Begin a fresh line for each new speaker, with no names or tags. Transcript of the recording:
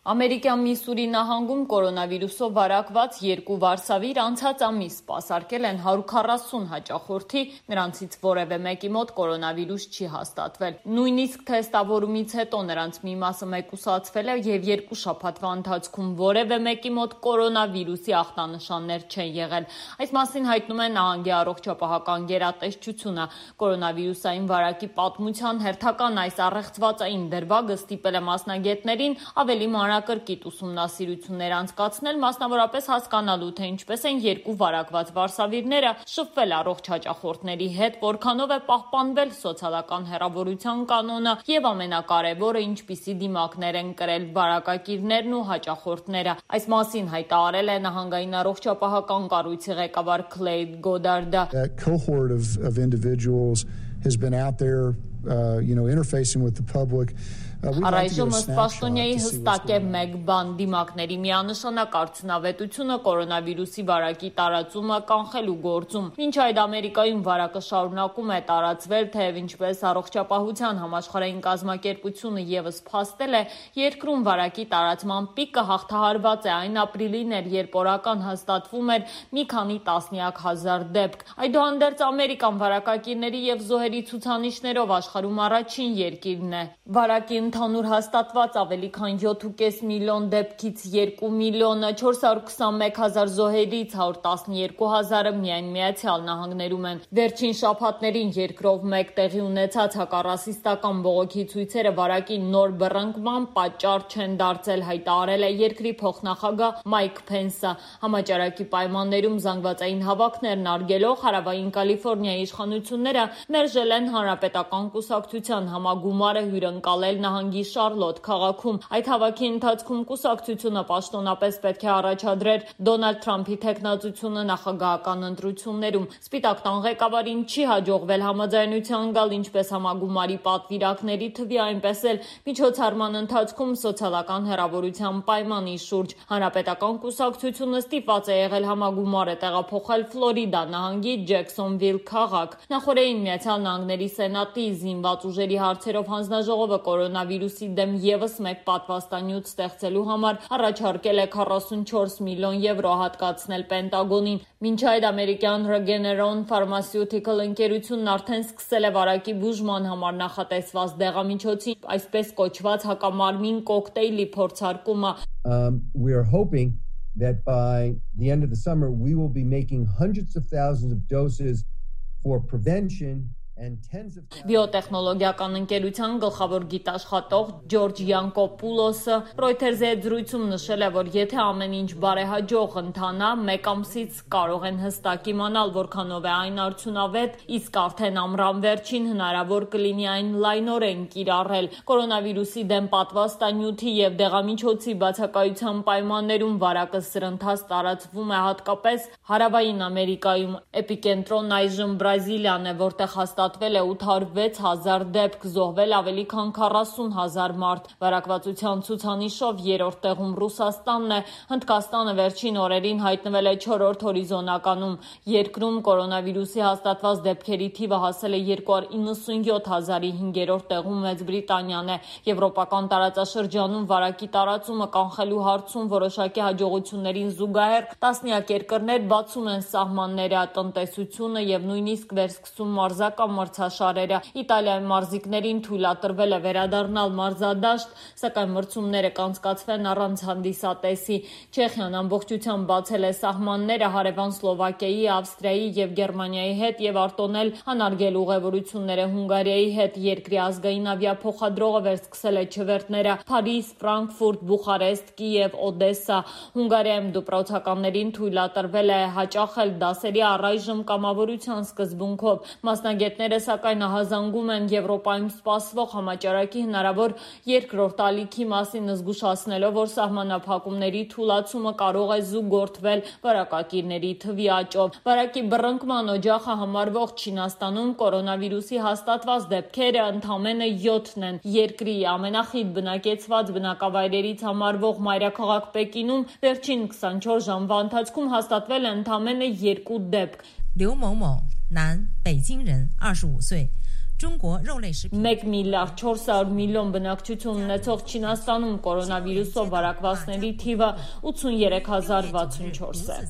Ամերիկյան Միսսուրի նահանգում կորոնավիրուսով վարակված 2 վարսավիր անցած ամիս սպասարկել են 140 հաճախորդի, նրանցից որևէ մեկի մոտ կորոնավիրուս չի հաստատվել։ Նույնիսկ թեստավորումից հետո նրանց մի մասը մեկուսացվել է եւ 2 շաբաթվա ընթացքում որևէ մեկի մոտ կորոնավիրուսի ախտանշաններ չեն եղել։ Այս մասին հայտնում է նահանգի առողջապահական գերատեսչությունը։ Կորոնավիրուսային վարակի պատմության հերթական այս առեղծվածային դրվագը ստիպել է մասնագետներին ավելի մանրակրկիտ ուսումնասիրություններ անցկացնել, մասնավորապես հասկանալու, թե ինչպես են 2 վարակված վարսավիրները շփվել առողջ հաճախորդների հետ, որքանով է պահպանվել սոցիալական հեռավորության կանոնը եւ ամենակարևորը, ինչպիսի դիմակներ են կրել վարակակիրներն ու հաճախորդները։ Այս մասին հայտարարել է նահանգային առողջապահական կառույցի ղեկավար Քլեյդ Գոդարդը։
That cohort of individuals has been out there, interfacing with the public.
Առայժմ ըստ պաշտոնյայի հստակ է մեկ բան՝ դիմակների միանշանակ արդյունավետությունը կորոնավիրուսի վարակի տարածումը կանխելու գործում։ Մինչ այդ Ամերիկայում վարակը շարունակում է տարածվել, թեև ինչպես առողջապահության համաշխարհային կազմակերպությունը եւս փաստել է, երկրում վարակի տարածման պիկը հաղթահարված է։ Այն ապրիլին էր, երբ օրական հաստատվում էր մի քանի տասնյակ հազար դեպք։ Այդուհանդերձ Ամերիկան վարակակիրների եւ զոհերի ցուցանիշներով աշխարհում առաջին երկիրն է։ Վարակի ընդհանուր հաստատված ավելի քան 7.5 միլիոն դեպքից 2 միլիոն 421 հազար զոհերից 112 հազարը միայն Միացյալ Նահանգներում են։ Վերջին շաբաթներին երկրով մեկ տեղի ունեցած հակառասիստական բողոքի ցույցերը վարակի նոր բռնկման պատճառ չեն դարձել, հայտարարել է երկրի փոխնախագահ Մայք Փենսը։ Համաճարակի պայմաններում զանգվածային հավաքներն արգելող Հարավային Կալիֆոռնիայի իշխանությունները մերժել են Հանրապետական կուսակցության համագումարը հյուրընկալել նահանգի Շարլոտ քաղաքում։ Այդ հավաքի ընթացքում կուսակցությունը պաշտոնապես պետք է առաջադրեր Դոնալդ Թրամփի թեկնածությունը նախագահական ընտրություններում։ Սպիտակ տան ղեկավարին չի հաջողվել համաձայնության գալ ինչպես համագումարի պատվիրակների թվի, այնպես էլ միջոցառման ընթացքում սոցիալական հեռավորության պայմանի շուրջ։ Հանրապետական կուսակցությունը ստիպված է եղել համագումարը տեղափոխել Ֆլորիդա նահանգի Ջեքսոնվիլ քաղաք։ Նախորդին Միացյալ Նահանգների Սենատի զինված ուժերի հարցերով հանձնաժողովը կորոնավիրուսի դեմ եւս մեկ պատվաստանյութ ստեղծելու համար առաջարկել է 44 միլիոն եվրո հատկացնել Պենտագոնին։ Մինչ այդ ամերիկյան Regeneron Pharmaceutical ընկերությունն արդեն սկսել է վարակի բուժման համար նախատեսված դեղամիջոցի, այսպես կոչված հակամարմին կոկտեյլի փորձարկումը։
We are hoping that by the end of the summer we will be making hundreds of thousands of doses for prevention.
Բիոտեխնոլոգիական ընկերության գլխավոր գիտաշխատող Ջորջ Յանկոպուլոսը Reuters-ի հետ զրույցում նշել է, որ եթե ամեն ինչ բարեհաջող ընթանա, մեկ ամսից կարող են հստակ իմանալ որքանով է այն արդյունավետ, իսկ արդեն ամռան վերջին հնարավոր կլինի այն լայնորեն կիրառել։ Կորոնավիրուսի դեմ պատվաստանյութի եւ դեղամիջոցի բացակայության պայմաններում վարակը սրընթաց տարածվում է հատկապես Հարավային Ամերիկայում։ Էպիկենտրոնն այժմ Բրազիլիան է, որտեղ հաստատվել է 806 հազար դեպք, զոհվել ավելի քան 40 հազար մարդ։ Վարակվածության ցուցանիշով 3-րդ տեղում Ռուսաստանն է, Հնդկաստանը վերջին օրերին հայտնվել է 4-րդ հորիզոնականում։ Երկրում կորոնավիրուսի հաստատված դեպքերի թիվը հասել է 297 հազարի, 5-րդ տեղում Մեծ Բրիտանիան է։ Եվրոպական տարածաշրջանում վարակի տարածումը կանխելու հարցում որոշակի հաջողություններին զուգահեռ տասնյակ երկրներ բացում են սահմանները, տնտեսությունը եւ նույնիսկ վերսկսում մարզական մրցաշարերը։ Իտալիայի մարզիկներին թույլատրվել է վերադառնալ մարզադաշտ, սակայն մրցումները կանցկացվեն առանց հանդիսատեսի։ Չեխիան ամբողջությամբ բացել է սահմանները հարևան Սլովակիայի, Ավստրիայի եւ Գերմանիայի հետ եւ արտոնել անարգել ուղևորությունները Հունգարիայի հետ։ Երկրի ազգային ավիափոխադրողը վերսկսել է չվերթները Փարիզ, Ֆրանկֆուրտ, Բուխարեստ, Կիև, Օդեսա։ Հունգարիայում դպրոցականներին թույլատրվել է հաճախել դասերի առայժմ կամավորության սկզբունքով։ Մասնագետները սակայն ահազանգում են Եվրոպայում սպասվող համաճարակի հնարավոր երկրորդ ալիքի մասին, զգուշացնելով, որ սահմանափակումների թուլացումը կարող է զուգորդվել վարակակիրների թվի աճով։ Վարակի բռնկման օջախը համարվող Չինաստանում կորոնավիրուսի հաստատված դեպքերը ընդամենը 7-ն են։ Երկրի ամենախիտ բնակեցված բնակավայրերից համարվող մայրաքաղաք Պեկինում վերջին 24 ժամվա ընթացքում հաստատվել է ընդամենը 2 դեպք։
刘某某，男，北京人，25岁，
1 միլիարդ 400 միլիոն բնակչություն ունեցող Չինաստանում կորոնավիրուսով վարակվածների թիվը 83064 է։